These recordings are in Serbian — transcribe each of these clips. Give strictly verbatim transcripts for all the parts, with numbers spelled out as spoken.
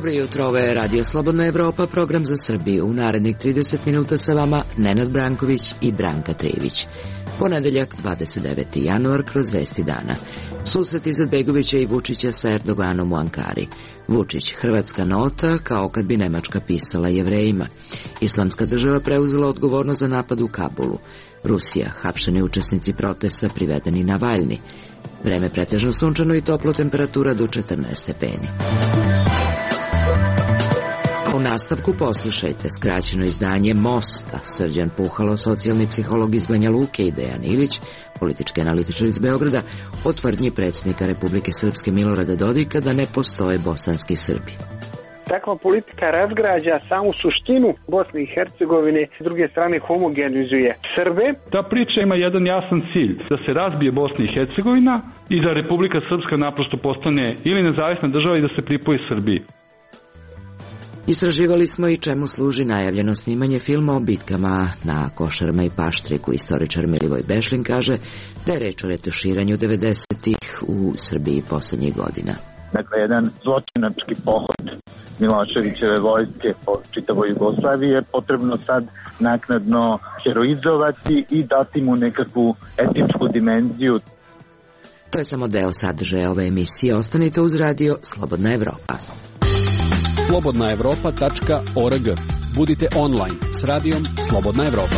Dobro jutro, ovo je Radio Slobodna Evropa, program za Srbiju. U narednih trideset minuta sa vama Nenad Branković i Branka Trijević. Ponedeljak, dvadeset deveti januar, kroz vesti dana. Susret Izetbegovića i Vučića sa Erdoganom u Ankari. Vučić, hrvatska nota, kao kad bi Nemačka pisala Jevrejima. Islamska država preuzela odgovornost za napad u Kabulu. Rusija, hapšeni učesnici protesta privedeni na Navalni. Vreme pretežno sunčano i toplo, temperatura do četrnaest stepeni. U nastavku poslušajte skraćeno izdanje Mosta. Srđan Puhalo, socijalni psiholog iz Banja Luke, i Dejan Ilić, politički analitičar iz Beograda, o tvrdnji predsjednika Republike Srpske Milorada Dodika da ne postoje bosanski Srbi. Takva politika razgrađa samu suštinu Bosne i Hercegovine, s druge strane homogenizuje Srbe. Ta priča ima jedan jasan cilj, da se razbije Bosna i Hercegovina i da Republika Srpska naprosto postane ili nezavisna država i da se pripoji Srbiji. Istraživali smo i čemu služi najavljeno snimanje filma o bitkama na Košarama i Paštriku. Istoričar Milivoj Bešlin kaže da je reč o retuširanju devedesetih u Srbiji posljednjih godina. Dakle, jedan zločinački pohod Miloševićeve vojske po čitavoj Jugoslaviji je potrebno sad naknadno heroizovati i dati mu nekakvu etičku dimenziju. To je samo deo sadržaja ove emisije. Ostanite uz radio Slobodna Evropa. slobodna evropa tačka org. Budite online s radijom Slobodna Evropa.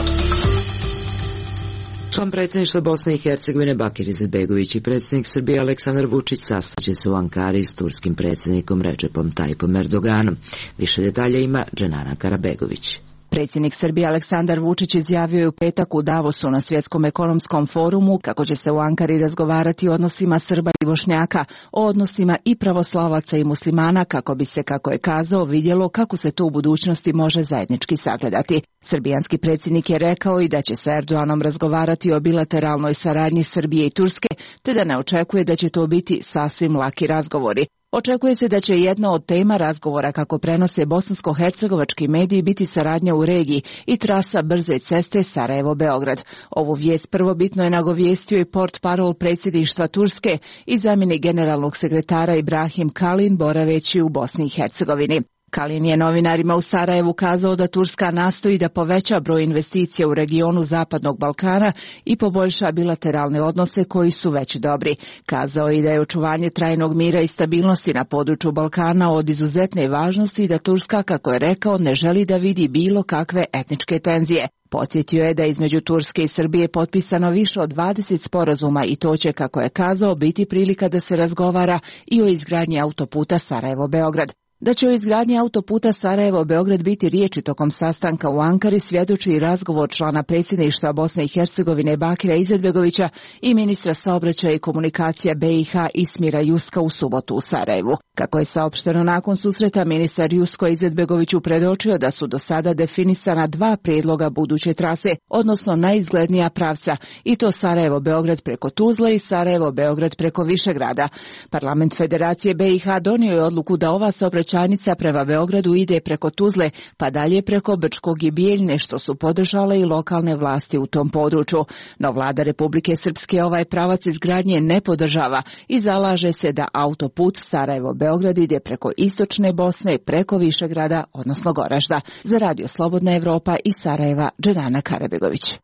Član predsjedništva Bosne i Hercegovine Bakir Izetbegović i predsjednik Srbije Aleksandar Vučić sastaće se u Ankari s turskim predsjednikom Recepom Tayyipom Erdoganom. Više detalja ima Dženana Karabegović. Predsjednik Srbije Aleksandar Vučić izjavio je u petak u Davosu na Svjetskom ekonomskom forumu kako će se u Ankari razgovarati o odnosima Srba i Bošnjaka, o odnosima i pravoslavaca i muslimana, kako bi se, kako je kazao, vidjelo kako se to u budućnosti može zajednički sagledati. Srbijanski predsjednik je rekao i da će sa Erdoganom razgovarati o bilateralnoj saradnji Srbije i Turske, te da ne očekuje da će to biti sasvim laki razgovori. Očekuje se da će jedna od tema razgovora, kako prenose bosansko-hercegovački mediji, biti saradnja u regiji i trasa brze ceste Sarajevo-Beograd. Ovu vijest prvobitno je nagovijestio i portparol predsjedništva Turske i zamjenik generalnog sekretara Ibrahim Kalin, boraveći u Bosni i Hercegovini. Kalin je novinarima u Sarajevu kazao da Turska nastoji da poveća broj investicija u regionu Zapadnog Balkana i poboljša bilateralne odnose koji su već dobri. Kazao je i da je očuvanje trajnog mira i stabilnosti na području Balkana od izuzetne važnosti i da Turska, kako je rekao, ne želi da vidi bilo kakve etničke tenzije. Podsjetio je da je između Turske i Srbije potpisano više od dvadeset sporazuma i to će, kako je kazao, biti prilika da se razgovara i o izgradnji autoputa Sarajevo-Beograd. Da će o izgradnji autoputa Sarajevo-Beograd biti riječi tokom sastanka u Ankari svjedoči i razgovor člana predsjedništva Bosne i Hercegovine Bakira Izetbegovića i ministra saobraćaja i komunikacija B i H Ismira Juska u subotu u Sarajevu. Kako je saopšteno nakon susreta, ministar Jusko Izetbegoviću predočio da su do sada definisana dva prijedloga buduće trase, odnosno najizglednija pravca, i to Sarajevo-Beograd preko Tuzle i Sarajevo-Beograd preko Višegrada. Parlament Federacije B i H donio je odluku da ova saobraćajnica prema Beogradu ide preko Tuzle, pa dalje preko Brčkog i Bijeljne, što su podržale i lokalne vlasti u tom području. No vlada Republike Srpske ovaj pravac izgradnje ne podržava i zalaže se da autoput Sarajevo-Beograd ide preko istočne Bosne, preko Višegrada, odnosno Goražda. Za Radio Slobodna Evropa iz Sarajeva, Dženana Karabegović.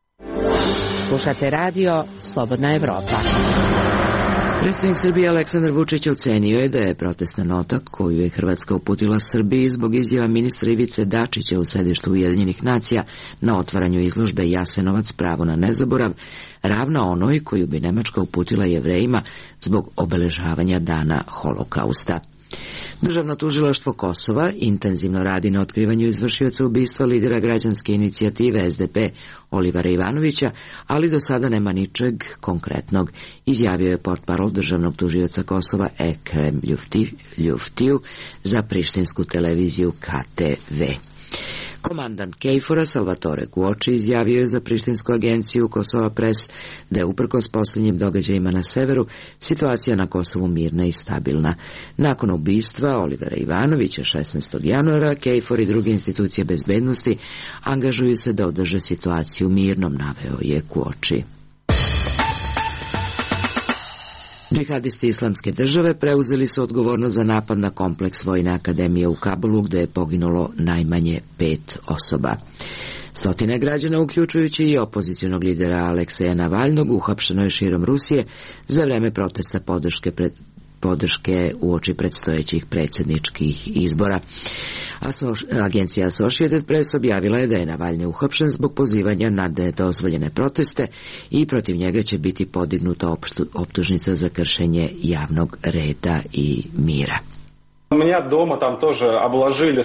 Slušate radio Slobodna Evropa. Predsjednik Srbije Aleksandar Vučić ocenio je da je protestna nota koju je Hrvatska uputila Srbiji zbog izjava ministra Ivice Dačića u sedištu Ujedinjenih nacija na otvaranju izložbe Jasenovac, pravo na nezaborav, ravna onoj koju bi Nemačka uputila Jevrejima zbog obeležavanja dana Holokausta. Državno tužilaštvo Kosova intenzivno radi na otkrivanju izvršioca ubistva lidera građanske inicijative S D P Olivera Ivanovića, ali do sada nema ničeg konkretnog, izjavio je portparol državnog tužioca Kosova Ekrem Ljuftiju za prištinsku televiziju K T V. Komandant Kejfora Salvatore Guoči izjavio je za prištinsku agenciju Kosova Press da je uprkos posljednjim događajima na severu situacija na Kosovu mirna i stabilna. Nakon ubistva Olivera Ivanovića šesnaestog januara, Kejfor i druge institucije bezbednosti angažuju se da održe situaciju mirnom, naveo je Guoči. Džihadisti Islamske države preuzeli su odgovornost za napad na kompleks Vojne akademije u Kabulu, gde je poginulo najmanje pet osoba. Stotine građana, uključujući i opozicionog lidera Alekseja Navalnog, uhapšeno je širom Rusije za vreme protesta podrške pred podrške uoči predstojećih predsjedničkih izbora. Agencija Associated Press objavila je da je Navalny uhapšen zbog pozivanja na nedozvoljene proteste i protiv njega će biti podignuta optužnica za kršenje javnog reda i mira.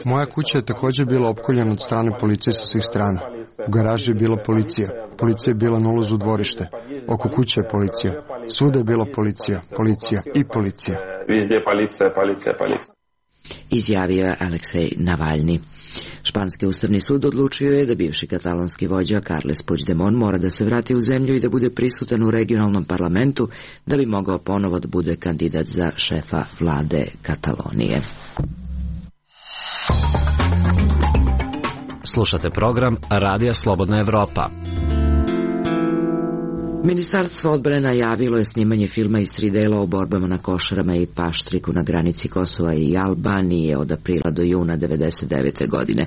Moja kuća je također bila opkoljena od strane policije sa svih strana. U garaži je bila policija. Policija je bila na ulazu u dvorište. Oko kuće je policija. Svuda je bila policija, policija i policija. Izjavio je Aleksej Navalny. Španski ustavni sud odlučio je da bivši katalonski vođa Carles Puigdemont mora da se vrati u zemlju i da bude prisutan u regionalnom parlamentu da bi mogao ponovo da bude kandidat za šefa vlade Katalonije. Slušate program Radija Slobodna Evropa. Ministarstvo odbrane najavilo je snimanje filma iz tri dela o borbama na Košarama i Paštriku na granici Kosova i Albanije od aprila do juna devedeset devete. godine.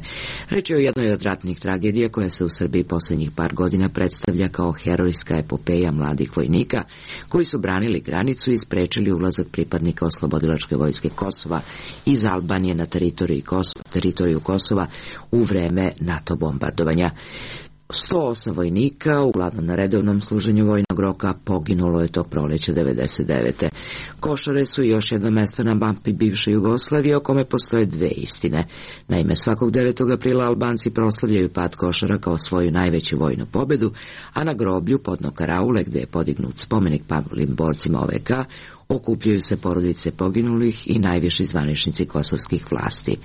Reč je o jednoj od ratnih tragedija koja se u Srbiji posljednjih par godina predstavlja kao herojska epopeja mladih vojnika koji su branili granicu i sprečili ulazak pripadnika Oslobodilačke vojske Kosova iz Albanije na teritoriju Kosova, teritoriju Kosova u vreme NATO bombardovanja. sto osam vojnika, uglavnom na redovnom služenju vojnog roka, poginulo je tog proleća devedeset devete. Košare su još jedno mesto na mapi bivše Jugoslavije o kome postoje dve istine. Naime, svakog devetog aprila Albanci proslavljaju pad Košara kao svoju najveću vojnu pobedu, a na groblju podno Karaule, gde je podignut spomenik pavlim borcima O V K, okupljaju se porodice poginulih i najviši zvaničnici kosovskih vlasti.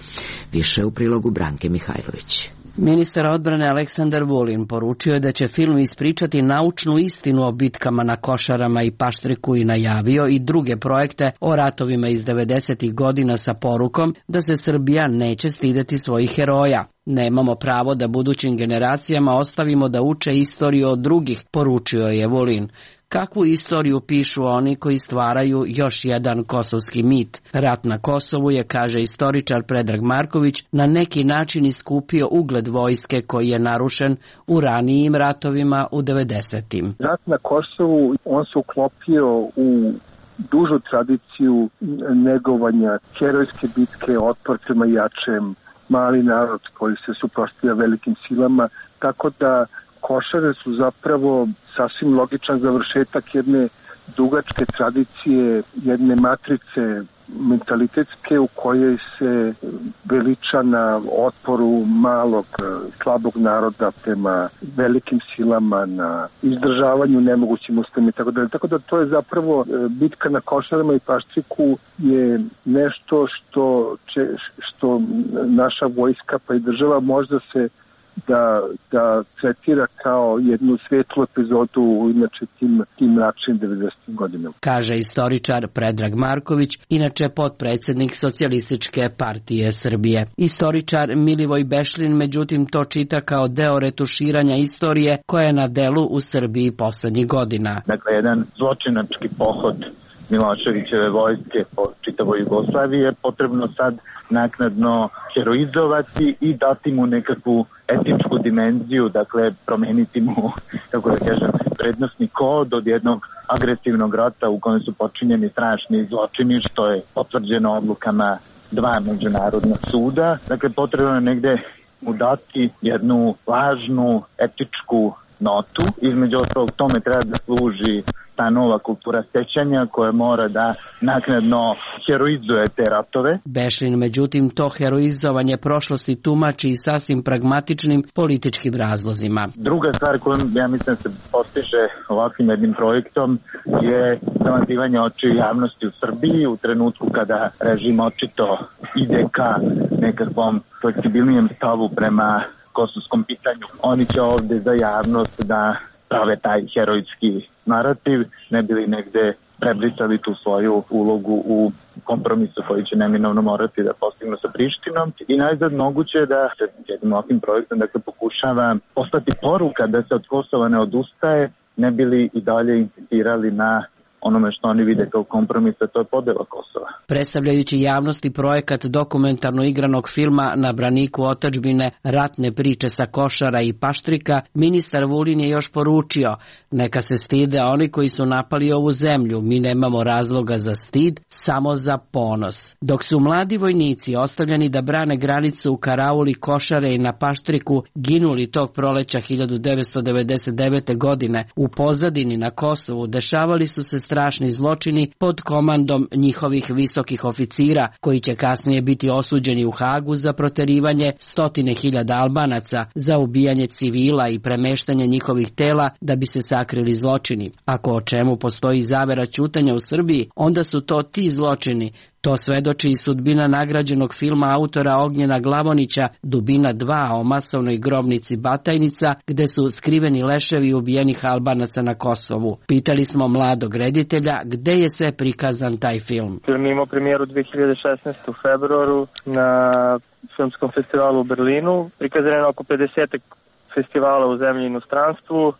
Više u prilogu Branke Mihajlović. Ministar odbrane Aleksandar Vulin poručio je da će film ispričati naučnu istinu o bitkama na Košarama i Paštriku i najavio i druge projekte o ratovima iz devedesetih godina sa porukom da se Srbija neće stideti svojih heroja. Nemamo pravo da budućim generacijama ostavimo da uče istoriju od drugih, poručio je Vulin. Kakvu istoriju pišu oni koji stvaraju još jedan kosovski mit? Rat na Kosovu je, kaže istoričar Predrag Marković, na neki način iskupio ugled vojske koji je narušen u ranijim ratovima u devedesetim. Rat na Kosovu, on se uklopio u dužu tradiciju negovanja herojske bitke, otpor prema jačem, mali narod koji se suprotstavlja velikim silama, tako da Košare su zapravo sasvim logičan završetak jedne dugačke tradicije, jedne matrice mentalitetske u kojoj se veliča na otporu malog, slabog naroda prema velikim silama, na izdržavanju nemogućim uslovima i tako dalje. Tako da to je zapravo bitka na Košarama i Paštriku je nešto što, će, što naša vojska pa i država možda se da, da tretira kao jednu svetlu epizodu u inače tim, tim mračnim devedesetim godinama. Kaže istoričar Predrag Marković, inače potpredsjednik Socijalističke partije Srbije. Istoričar Milivoj Bešlin, međutim, to čita kao deo retuširanja istorije koja je na delu u Srbiji poslednjih godina. Dakle, jedan zločinački pohod Miloševićeve vojske po čitavoj Jugoslaviji je potrebno sad naknadno heroizovati i dati mu nekakvu etičku dimenziju, dakle promeniti mu, kako da kažem, prednostni kod od jednog agresivnog rata u kojem su počinjeni strašni zločini, što je potvrđeno odlukama dva međunarodna suda. Dakle, potrebno je negde mu dati jednu važnu etičku notu. Između ostalog tome treba da služi ta nova kultura sećanja koja mora da naknadno heroizuje te ratove. Bešlin, međutim, to heroizovanje prošlosti tumači i sasvim pragmatičnim političkim razlozima. Druga stvar koju ja mislim da se postiže ovakvim jednim projektom je zamazivanje očiju javnosti u Srbiji u trenutku kada režim očito ide ka nekakvom fleksibilnijem stavu prema kosovskom pitanju. Oni će ovde za javnost da prave taj herojski narativ, ne bili negde prebrisali tu svoju ulogu u kompromisu koji će neminovno morati da postignu sa Prištinom. I najzad moguće je da se jednim ovakvim projektom dakle, pokušava postati poruka da se od Kosova ne odustaje, ne bili i dalje insistirali na onome što oni vide kao kompromis, to je podela Kosova. Predstavljajući javnosti projekat dokumentarno igranog filma Na braniku otadžbine, ratne priče sa Košara i Paštrika, ministar Vulin je još poručio: neka se stide oni koji su napali ovu zemlju, mi nemamo razloga za stid, samo za ponos. Dok su mladi vojnici ostavljeni da brane granicu u karauli Košare i na Paštriku ginuli tog proleća hiljadu devetsto devedeset devete. godine, u pozadini na Kosovu dešavali su se strašni zločini pod komandom njihovih visokih oficira, koji će kasnije biti osuđeni u Hagu za proterivanje stotine hiljada Albanaca, za ubijanje civila i premeštanje njihovih tela da bi se sakrili zločini. Ako o čemu postoji zavera ćutanja u Srbiji, onda su to ti zločini. To svedoči i sudbina nagrađenog filma autora Ognjena Glavonića Dubina dva o masovnoj grobnici Batajnica, gde su skriveni leševi ubijenih Albanaca na Kosovu. Pitali smo mladog reditelja gde je sve prikazan taj film. Film imao premijeru dve hiljade šesnaeste. u februaru na filmskom festivalu u Berlinu. Prikazan je na oko pedeset festivala u zemlji i inostranstvu, e,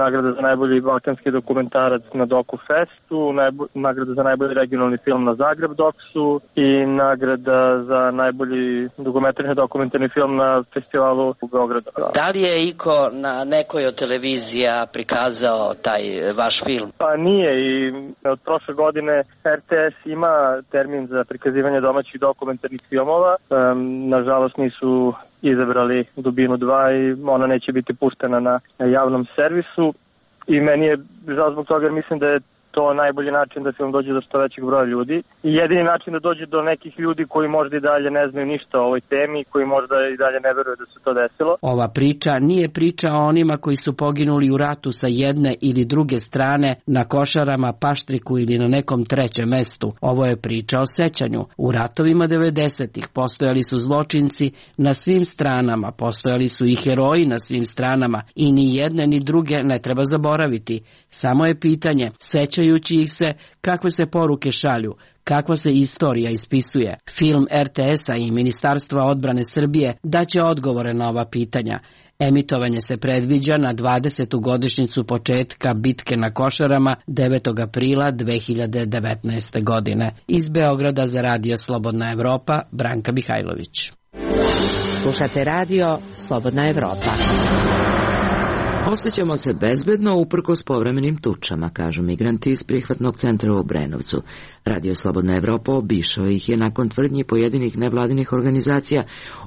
nagrada za najbolji balkanski dokumentarac na Doku Festu, najbo, nagrada za najbolji regionalni film na Zagreb Doksu i nagrada za najbolji dokumentarni dokumentarni film na festivalu u Beogradu. Da li je iko na nekoj od televizija prikazao taj vaš film? Pa nije, i od prošle godine R T S ima termin za prikazivanje domaćih dokumentarnih filmova. E, nažalost nisu izabrali Dubinu dva i ona neće biti puštena na javnom servisu i meni je žao zbog toga jer mislim da je to najbolji način da film dođe do što većeg broja ljudi i jedini način da dođe do nekih ljudi koji možda i dalje ne znaju ništa o ovoj temi, koji možda i dalje ne veruju da se to desilo. Ova priča nije priča o onima koji su poginuli u ratu sa jedne ili druge strane na Košarama, Paštriku ili na nekom trećem mestu. Ovo je priča o sećanju. U ratovima devedesetih postojali su zločinci na svim stranama, postojali su i heroji na svim stranama i ni jedne ni druge ne treba zaboraviti. Samo je pitanje, sećajući ih se, kakve se poruke šalju, kakva se istorija ispisuje. Film R T S-a i Ministarstva odbrane Srbije daće odgovore na ova pitanja. Emitovanje se predviđa na dvadesetu godišnjicu početka bitke na Košarama devetog aprila dve hiljade devetnaeste. godine. Iz Beograda za Radio Slobodna Evropa, Branka Mihajlović. Slušate radio Slobodna Evropa. Osjećamo se bezbedno uprkos povremenim tučama, kažu migranti iz prihvatnog centra u Obrenovcu. Radio Slobodna Evropa obišao ih je nakon tvrdnji pojedinih nevladinih organizacija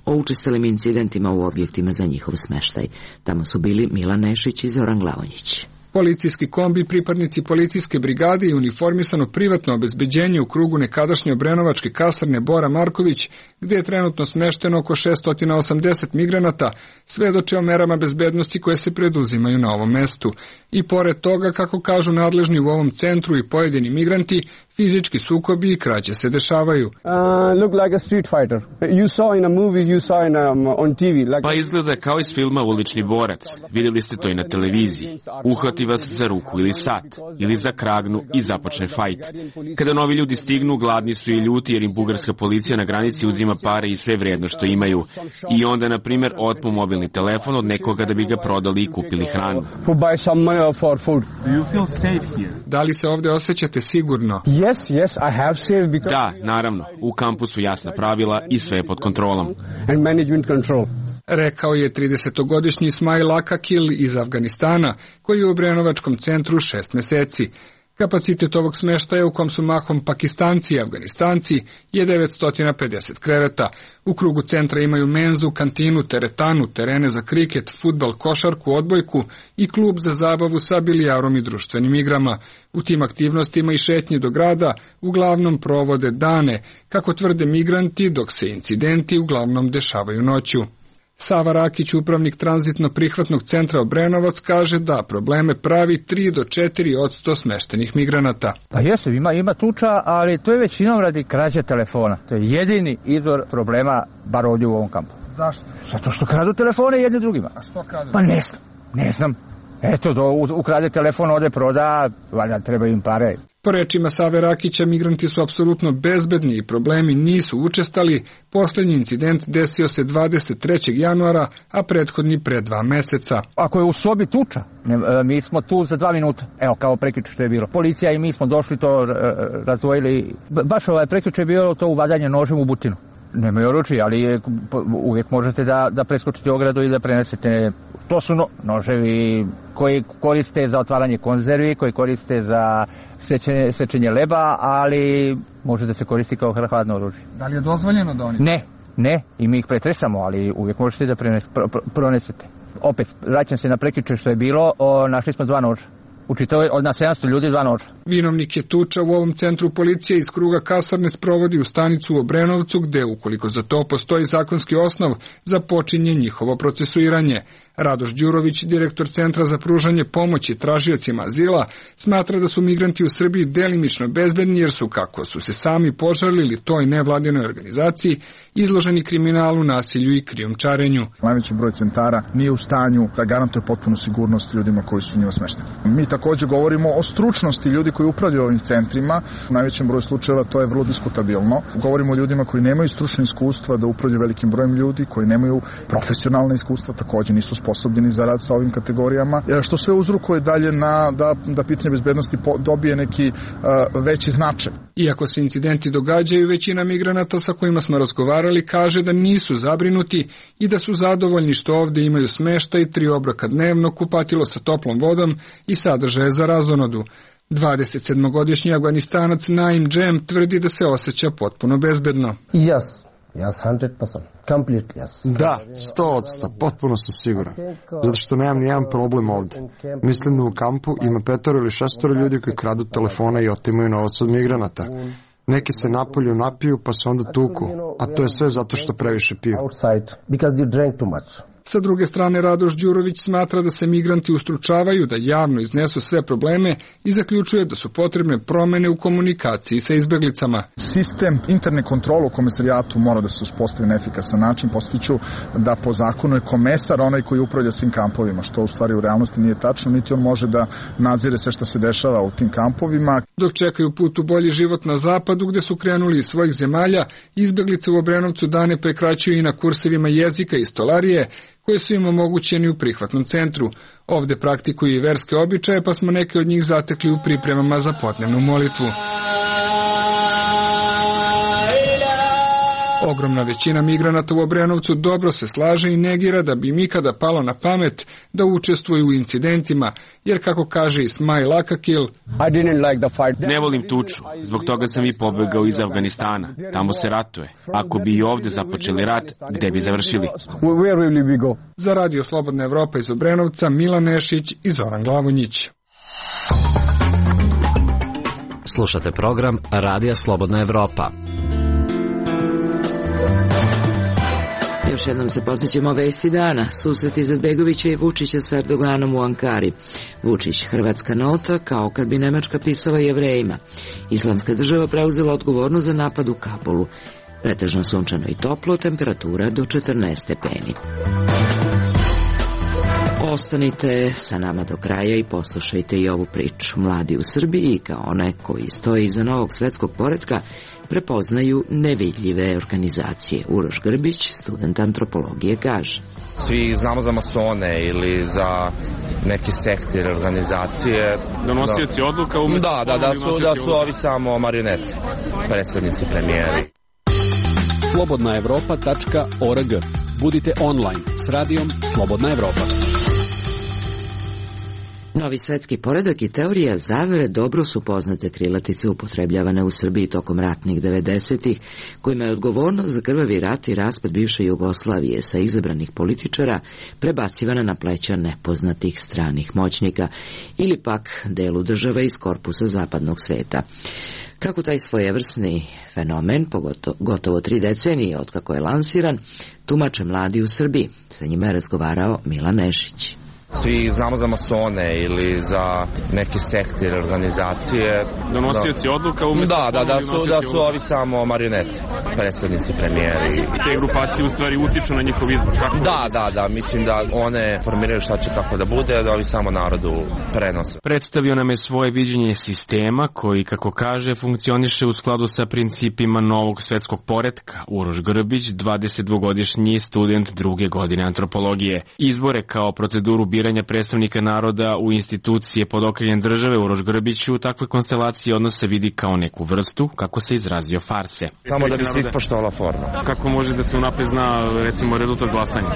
o učestalim incidentima u objektima za njihov smeštaj. Tamo su bili Milan Nešić i Zoran Glavonjić. Policijski kombi, pripadnici policijske brigade i uniformisano privatno obezbeđenje u krugu nekadašnje obrenovačke kasarne Bora Marković, gdje je trenutno smešteno oko šesto osamdeset migranata, svedoče o merama bezbednosti koje se preduzimaju na ovom mestu. I pored toga, kako kažu nadležni u ovom centru i pojedini migranti, fizički sukobi i krađe se dešavaju. Pa izgleda kao iz filma Ulični borac. Vidjeli ste to i na televiziji. Uhvati vas za ruku ili sat, ili za kragnu i započne fajt. Kada novi ljudi stignu, gladni su i ljuti jer im bugarska policija na granici uzima pare i sve vrijedno što imaju. I onda, na primjer, otmu mobilni telefon od nekoga da bi ga prodali i kupili hranu. Da li se ovdje osjećate sigurno? Yes, yes, I have safe because... Da, naravno. U kampu su jasna pravila i sve je pod kontrolom. And management control. Rekao je tridesetogodišnji Ismail Akakil iz Afganistana, koji je u Obrenovačkom centru šest meseci. Kapacitet ovog smeštaja, u kom su mahom Pakistanci i Afganistanci, je devetsto pedeset kreveta. U krugu centra imaju menzu, kantinu, teretanu, terene za kriket, fudbal, košarku, odbojku i klub za zabavu sa bilijarom i društvenim igrama. U tim aktivnostima i šetnji do grada uglavnom provode dane, kako tvrde migranti, dok se incidenti uglavnom dešavaju noću. Sava Rakić, upravnik tranzitno-prihvatnog centra Obrenovac, kaže da probleme pravi tri do četiri posto smeštenih migranata. Pa jesu, ima, ima tuča, ali to je većinom radi krađe telefona. To je jedini izvor problema, bar ovdje u ovom kampu. Zašto? Zato što kradu telefone jedni drugima. A što kradu? Pa ne znam, ne znam. Eto, do, ukrade telefon, ode proda, valjda treba im pare. Po rečima Save Rakića, migranti su apsolutno bezbedni i problemi nisu učestali. Poslednji incident desio se dvadeset trećeg januara, a prethodni pre dva meseca. Ako je u sobi tuča, ne, mi smo tu za dva minuta. Evo, kao prekjuče što je bilo. Policija i mi smo došli to razdvojili. Baš ovaj prekjuče je bilo to uvadanje nožem u butinu. Nemaju oručje, ali uvijek možete da, da preskočite ogradu i da prenesete. To su no, noževi koji koriste za otvaranje konzervi, koji koriste za sečenje, sečenje leba, ali može da se koristi kao hladno oružje. Da li je dozvoljeno da oni? Ne, ne, i mi ih pretresamo, ali uvijek možete da prenes, pro, pro, pronesete. Opet, vraćam se na prekjuče što je bilo, o, našli smo dva noža. Učitao od nas sedamsto ljudi dva noža. Vinovnik je tuča u ovom centru policije iz kruga kasarne sprovodi u stanicu u Obrenovcu, gde, ukoliko za to postoji zakonski osnov, započinje njihovo procesuiranje. Radoš Đurović, direktor Centra za pružanje pomoći tražiocima azila, smatra da su migranti u Srbiji delimično bezbedni jer su, kako su se sami požalili toj nevladinoj organizaciji, izloženi kriminalu, nasilju i krijumčarenju. Najveći broj centara nije u stanju da garantuje potpunu sigurnost ljudima koji su u njima smešteni. Mi također govorimo o stručnosti ljudi koji upravljaju ovim centrima. U najvećem broju slučajeva to je vrlo diskutabilno. Govorimo o ljudima koji nemaju stručno iskustva da upravljaju velikim brojem ljudi, koji nemaju profesionalne iskustva, također nisu sposobni za rad sa ovim kategorijama, što sve uzrokuje dalje na da, da pitanje bezbednosti dobije neki uh, veći značaj. Iako se incidenti događaju, većina migranata sa kojima smo razgovarali kaže da nisu zabrinuti i da su zadovoljni što ovde imaju smeštaj, tri obroka dnevno, kupatilo sa toplom vodom i sadržaje za razonodu. dvadesetsedmogodišnji Afganistanac Naim Džem tvrdi da se osjeća potpuno bezbedno. Yes. Yes, one hundred percent. Completely, yes. Da, sto odsto, potpuno sam siguran. Zato što nemam nijedan problem ovde. Mislim da u kampu ima petoro ili šestoro ljudi koji kradu telefona i otimaju novac od migranata. Neki se napolju napiju pa se onda tuku, a to je sve zato što previše piju. Sa druge strane, Radoš Đurović smatra da se migranti ustručavaju da javno iznesu sve probleme i zaključuje da su potrebne promene u komunikaciji sa izbeglicama. Sistem interne kontrole u komesarijatu mora da se uspostavi na efikasan način. Postiću da po zakonu je komesar onaj koji upravlja svim kampovima, što u stvari u realnosti nije tačno, niti on može da nadzire sve što se dešava u tim kampovima. Dok čekaju put u bolji život na zapadu, gde su krenuli iz svojih zemalja, izbeglice u Obrenovcu dane prekraćuju i na kursevima jezika i stolarije, koje su im omogućeni u prihvatnom centru. Ovde praktikuju i verske običaje, pa smo neke od njih zatekli u pripremama za podnevnu molitvu. Ogromna većina migranata u Obrenovcu dobro se slaže i negira da bi im ikada palo na pamet da učestvuju u incidentima, jer kako kaže Ismail Akakil, ne volim tuču, zbog toga sam i pobegao iz Afganistana. Tamo se ratuje. Ako bi i ovde započeli rat, gde bi završili? Za Radio Slobodna Evropa iz Obrenovca, Milan Nešić i Zoran Glavonjić. Slušate program Radija Slobodna Evropa. Još jednom se posvećamo vesti dana. Susret Izetbegovića i Vučića s Erdoganom u Ankari. Vučić, hrvatska nota, kao kad bi Nemačka pisala Jevrejima. Islamska država preuzela odgovornost za napad u Kabulu. Pretežno sunčano i toplo, temperatura do četrnaest stepeni. Ostanite sa nama do kraja i poslušajte i ovu priču. Mladi u Srbiji, kao one koji stoji iza novog svetskog poretka, prepoznaju nevidljive organizacije. Uroš Grbić, student antropologije, kaže. Svi znamo za masone ili za neke sekte ili organizacije. Donosioci da. odluka umjesto... Da, da, da su, da su ovi samo marionete, predstavnici premijeri. slobodna evropa tačka org. Budite online s radijom Slobodna Evropa. Novi svetski poredak i teorija zavere dobro su poznate krilatice upotrebljavane u Srbiji tokom ratnih devedesetih, kojima je odgovornost za krvavi rat i raspad bivše Jugoslavije sa izabranih političara prebacivana na pleća nepoznatih stranih moćnika ili pak delu država iz korpusa zapadnog sveta. Kako taj svojevrsni fenomen, pogotovo gotovo tri decenije otkako je lansiran, tumače mladi u Srbiji. Sa njima je razgovarao Milan Nešić. Svi znamo za masone ili za neke sekte ili organizacije. Donosioci da. odluka umjesto... Da, da, da su, da su ovi samo marionete, predsjednici, premijeri. I te grupacije u stvari utiču na njihov izbor, kako? Da, da, da, mislim da one formiraju šta će kako da bude, da ovi samo narodu prenose. Predstavio nam je svoje viđenje sistema koji, kako kaže, funkcioniše u skladu sa principima novog svetskog poretka. Uroš Grbić, dvadesetdvogodišnji student druge godine antropologije. Izbore kao proceduru biranja predstavnika naroda u institucije pod okriljem države Uroš Grbić u takvoj konstelaciji odnose vidi kao neku vrstu, kako se izrazio, farse. Samo da bi se ispoštovala forma. Kako može da se unapred zna, recimo, rezultat glasanja?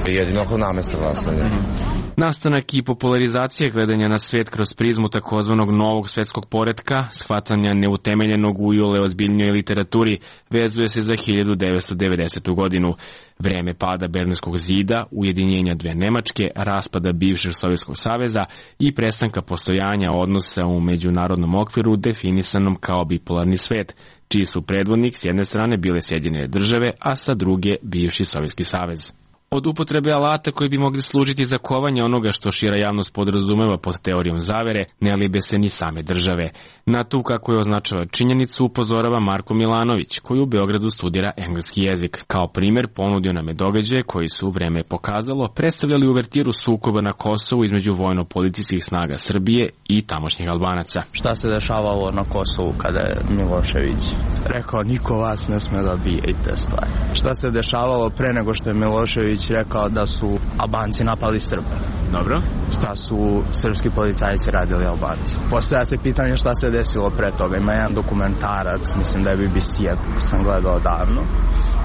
Jedino ako namesta glasanja. Mm-hmm. Nastanak i popularizacija gledanja na svet kroz prizmu takozvanog novog svetskog poretka, shvatanja neutemeljenog u iole ozbiljnjoj literaturi, vezuje se za hiljadu devetsto devedesetu godinu. Vreme pada Berlinskog zida, ujedinjenja dve Nemačke, raspada bivšeg Sovjetskog saveza i prestanka postojanja odnosa u međunarodnom okviru definisanom kao bipolarni svet, čiji su predvodnik s jedne strane bile Sjedinjene države, a sa druge bivši Sovjetski savez. Od upotrebe alata koji bi mogli služiti za kovanje onoga što šira javnost podrazumeva pod teorijom zavere, ne libe se ni same države. Na tu, kako je označava činjenicu, upozorava Marko Milanović, koji u Beogradu studira engleski jezik. Kao primjer ponudio nam je događaje koji su, vreme pokazalo, predstavljali uvertiru sukoba na Kosovu između vojno-policijskih snaga Srbije i tamošnjih Albanaca. Šta se dešavalo na Kosovu kada je Milošević rekao niko vas ne sme da bije i te stvari? Šta se dešavalo pre nego što je Milošević rekao da su Albanci napali Srbe? Dobro. Šta su srpski policajci radili Albanci? Postavlja se pitanje šta se desilo pre toga. Ima jedan dokumentarac, mislim da je B B C, sam gledao davno.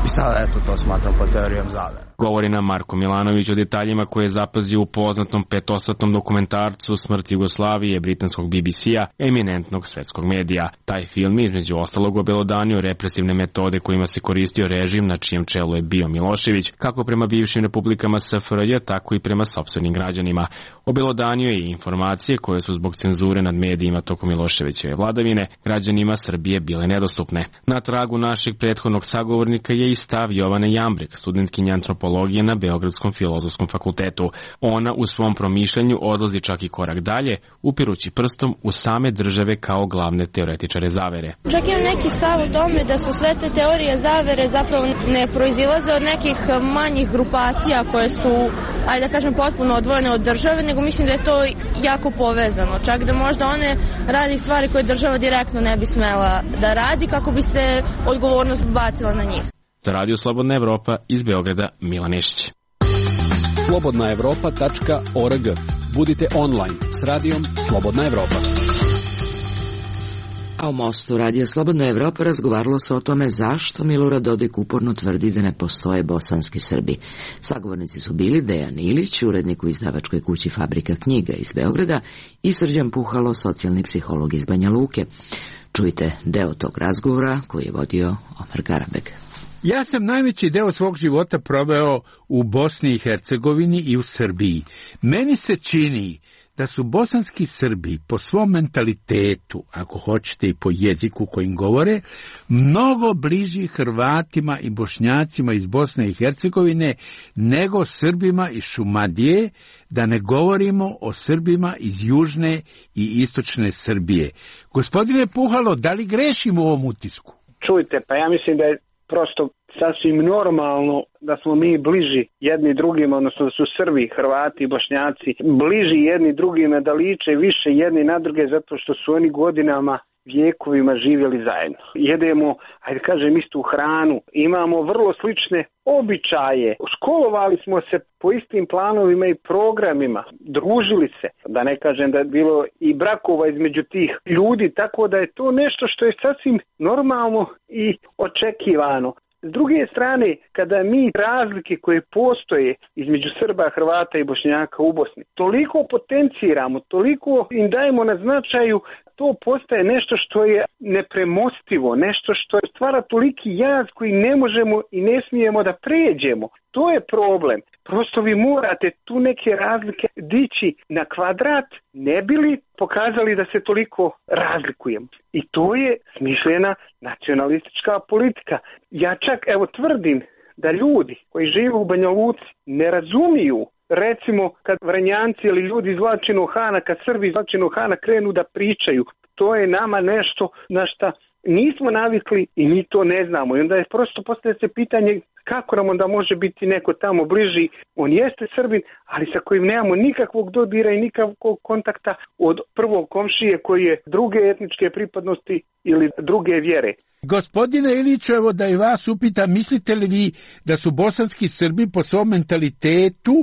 I sada, eto, to smatram po teorijom zavere. Govori nam Marko Milanović o detaljima koje je zapazio u poznatom petosatnom dokumentarcu Smrt Jugoslavije britanskog B B C-a, eminentnog svetskog medija. Taj film je između ostalog obelodanio represivne metode kojima se koristio režim na čijem čelu je bio Milošević, kako prema bivšim republikama S F R J, tako i prema sopstvenim građanima. Obelodanio je i informacije koje su zbog cenzure nad medijima tokom Miloševićeve vladavine građanima Srbije bile nedostupne. Na tragu našeg prethodnog sagovornika je i stav Jovane Jambrek, studentkinja antropologije na Beogradskom filozofskom fakultetu. Ona u svom promišljanju odlazi čak i korak dalje, upirući prstom u same države kao glavne teoretičare zavere. Čak imam neki stav o tome da su sve te teorije zavere zapravo ne proizilaze od nekih manjih grupacija koje su, ajde da kažem, potpuno odvojene od države, nego mislim da je to jako povezano. Čak da možda one radi stvari koje država direktno ne bi smela da radi kako bi se odgovornost bacila na njih. Za Radio Slobodna Evropa iz Beograda, Milan Nešić. slobodna evropa tačka org. Budite online s radijom Slobodna Evropa. A u Mostu Radio Slobodna Evropa razgovaralo se o tome zašto Milorad Dodik uporno tvrdi da ne postoje bosanski Srbi. Sagovornici su bili Dejan Ilić, urednik u izdavačkoj kući Fabrika knjiga iz Beograda, i Srđan Puhalo, socijalni psiholog iz Banja Luke. Čujte deo tog razgovora koji je vodio Omar Garabeg. Ja sam najveći deo svog života proveo u Bosni i Hercegovini i u Srbiji. Meni se čini da su bosanski Srbi po svom mentalitetu, ako hoćete i po jeziku kojim govore, mnogo bliži Hrvatima i Bošnjacima iz Bosne i Hercegovine nego Srbima iz Šumadije, da ne govorimo o Srbima iz južne i istočne Srbije. Gospodine Puhalo, da li grešim u ovom utisku? Čujte, pa ja mislim da je prosto sasvim normalno da smo mi bliži jedni drugima, odnosno da su Srbi, Hrvati i Bošnjaci bliži jedni drugima, da liče više jedni na druge zato što su oni godinama, vjekovima živjeli zajedno. Jedemo, ajde kažem, istu hranu, imamo vrlo slične običaje, školovali smo se po istim planovima i programima, družili se, da ne kažem da je bilo i brakova između tih ljudi, tako da je to nešto što je sasvim normalno i očekivano. S druge strane, kada mi razlike koje postoje između Srba, Hrvata i Bošnjaka u Bosni toliko potenciramo, toliko im dajemo na značaju, to postaje nešto što je nepremostivo, nešto što stvara toliki jaz koji ne možemo i ne smijemo da pređemo. To je problem. Prosto vi morate tu neke razlike dići na kvadrat, ne bi li pokazali da se toliko razlikujemo. I to je smišljena nacionalistička politika. Ja čak, evo, tvrdim da ljudi koji žive u Banja Luci ne razumiju recimo kad Vranjanci ili ljudi iz Vlačinog Hana, kad Srbi iz Vlačinog Hana krenu da pričaju, to je nama nešto na šta nismo navikli i mi to ne znamo. I onda je prosto postavlja se pitanje kako nam onda može biti neko tamo bliži. On jeste Srbin, ali sa kojim nemamo nikakvog dodira i nikakvog kontakta od prvog komšije koji je druge etničke pripadnosti ili druge vjere. Gospodine Iliću, evo da i vas upitam, mislite li vi da su bosanski Srbi po svom mentalitetu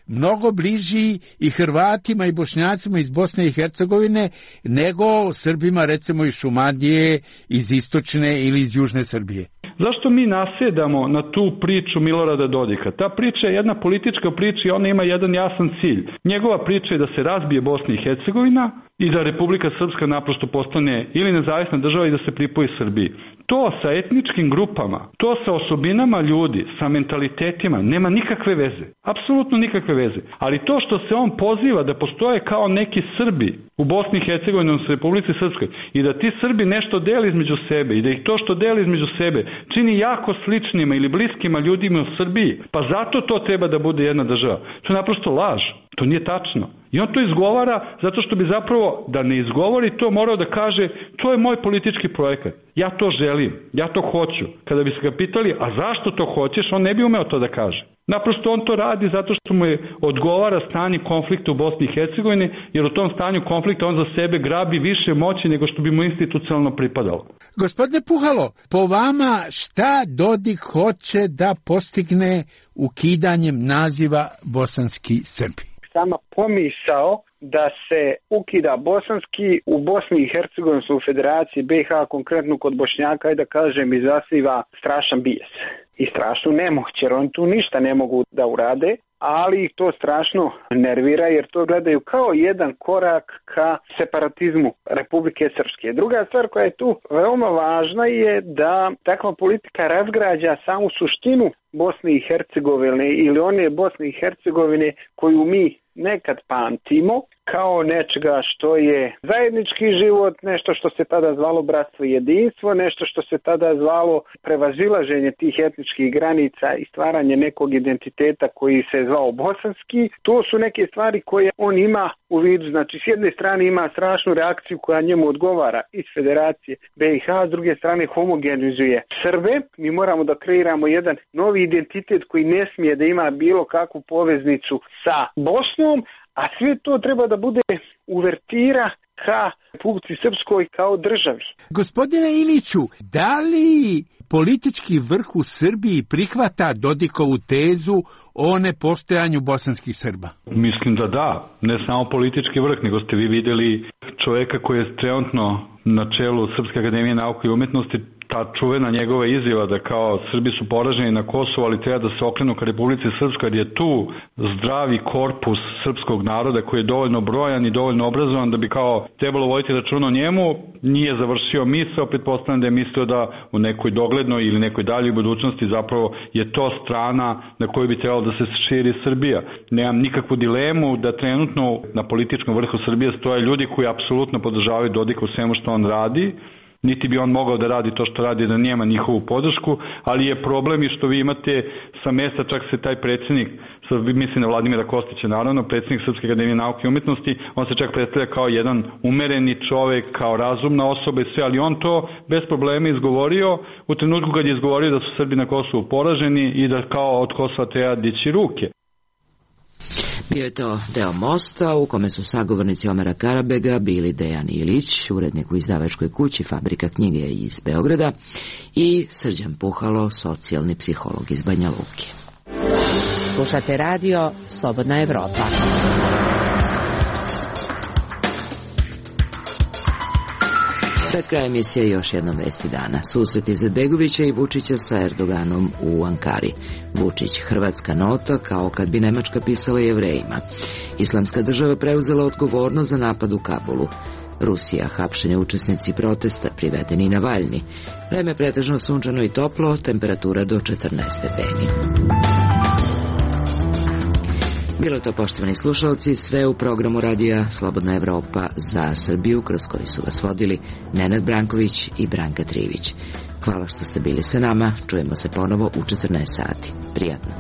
mnogo bliži i Hrvatima i Bošnjacima iz Bosne i Hercegovine nego Srbima recimo iz Šumadije, iz istočne ili iz južne Srbije? Zašto mi nasjedamo na tu priču Milorada Dodika? Ta priča je jedna politička priča i ona ima jedan jasan cilj. Njegova priča je da se razbije Bosna i Hercegovina i da Republika Srpska naprosto postane ili nezavisna država i da se pripoji Srbiji. To sa etničkim grupama, to sa osobinama ljudi, sa mentalitetima nema nikakve veze. Apsolutno nikakve veze. Ali to što se on poziva da postoje kao neki Srbi u Bosni i Hercegovini, u Republici Srpskoj, i da ti Srbi nešto deli između sebe i da ih to što deli između sebe čini jako sličnima ili bliskima ljudima u Srbiji, pa zato to treba da bude jedna država. To je naprosto laž. To nije tačno. I on to izgovara zato što bi zapravo, da ne izgovori to, morao da kaže to je moj politički projekat. Ja to želim, ja to hoću. Kada bi se ga pitali, a zašto to hoćeš, on ne bi umeo to da kaže. Naprosto on to radi zato što mu je odgovara stanje konflikta u Bosni i Hercegovini, jer u tom stanju konflikta on za sebe grabi više moći nego što bi mu institucionalno pripadalo. Gospodine Puhalo, po vama šta Dodik hoće da postigne ukidanjem naziva bosanski Srbi? Sama pomisao da se ukida bosanski u Bosni i Hercegovini u Federaciji B i H, konkretno kod Bošnjaka, i da kažem izaziva strašan bijes i strašnu nemoć, jer oni tu ništa ne mogu da urade, ali ih to strašno nervira jer to gledaju kao jedan korak ka separatizmu Republike Srpske. Druga stvar koja je tu veoma važna je da takva politika razgrađa samu suštinu Bosne i Hercegovine ili one Bosne i Hercegovine koju mi nekad pamtimo kao nečega što je zajednički život, nešto što se tada zvalo bratstvo i jedinstvo, nešto što se tada zvalo prevazilaženje tih etničkih granica i stvaranje nekog identiteta koji se zvao bosanski. To su neke stvari koje on ima u vidu. Znači, s jedne strane ima strašnu reakciju koja njemu odgovara iz Federacije B i H, s druge strane homogenizuje Srbe. Mi moramo da kreiramo jedan novi identitet koji ne smije da ima bilo kakvu poveznicu sa Bosnom, a sve to treba da bude uvertira ka Republici Srpskoj kao državi. Gospodine Iliću, da li politički vrh u Srbiji prihvata Dodikovu tezu o nepostojanju bosanskih Srba? Mislim da da, ne samo politički vrh, nego ste vi vidjeli čovjeka koji je trenutno na čelu Srpske akademije nauke i umjetnosti, ta čuvena njegova izjava da kao Srbi su poraženi na Kosovu, ali treba da se okrenu ka Republici Srpskoj, jer je tu zdravi korpus srpskog naroda koji je dovoljno brojan i dovoljno obrazovan da bi kao trebalo voditi računa o njemu. Nije završio misao, pretpostavljam da je mislio da u nekoj doglednoj ili nekoj daljoj budućnosti zapravo je to strana na koju bi trebalo da se širi Srbija. Nemam nikakvu dilemu da trenutno na političkom vrhu Srbije stoje ljudi koji apsolutno podržavaju Dodika u svemu što on radi, niti bi on mogao da radi to što radi da nema njihovu podršku, ali je problem i što vi imate sa mesta, čak se taj predsjednik, mislim na Vladimira Kostića naravno, predsjednik Srpske akademije nauke i umjetnosti, on se čak predstavlja kao jedan umereni čovjek, kao razumna osoba i sve, ali on to bez problema izgovorio u trenutku kad je izgovorio da su Srbi na Kosovu poraženi i da kao od Kosova treba dići ruke. Bio je to deo Mosta u kome su sagovornici Omera Karabega bili Dejan Ilić, urednik u izdavačkoj kući Fabrika knjige iz Beograda, i Srđan Puhalo, socijalni psiholog iz Banja Luke. Slušate radio Slobodna Evropa. Pred kraj emisije još jednom vesti dana. Susret Izetbegovića i Vučića sa Erdoganom u Ankari. Vučić, hrvatska nota, kao kad bi Nemačka pisala Jevrejima. Islamska država preuzela odgovornost za napad u Kabulu. Rusija, hapšeni učesnici protesta, privedeni Navalni. Vreme pretežno sunčano i toplo, temperatura do četrnaest stepeni. Bilo je to, poštovani slušalci, sve u programu radija Slobodna Evropa za Srbiju, kroz koji su vas vodili Nenad Branković i Branka Trivić. Hvala što ste bili sa nama, čujemo se ponovo u četrnaest sati. Prijatno.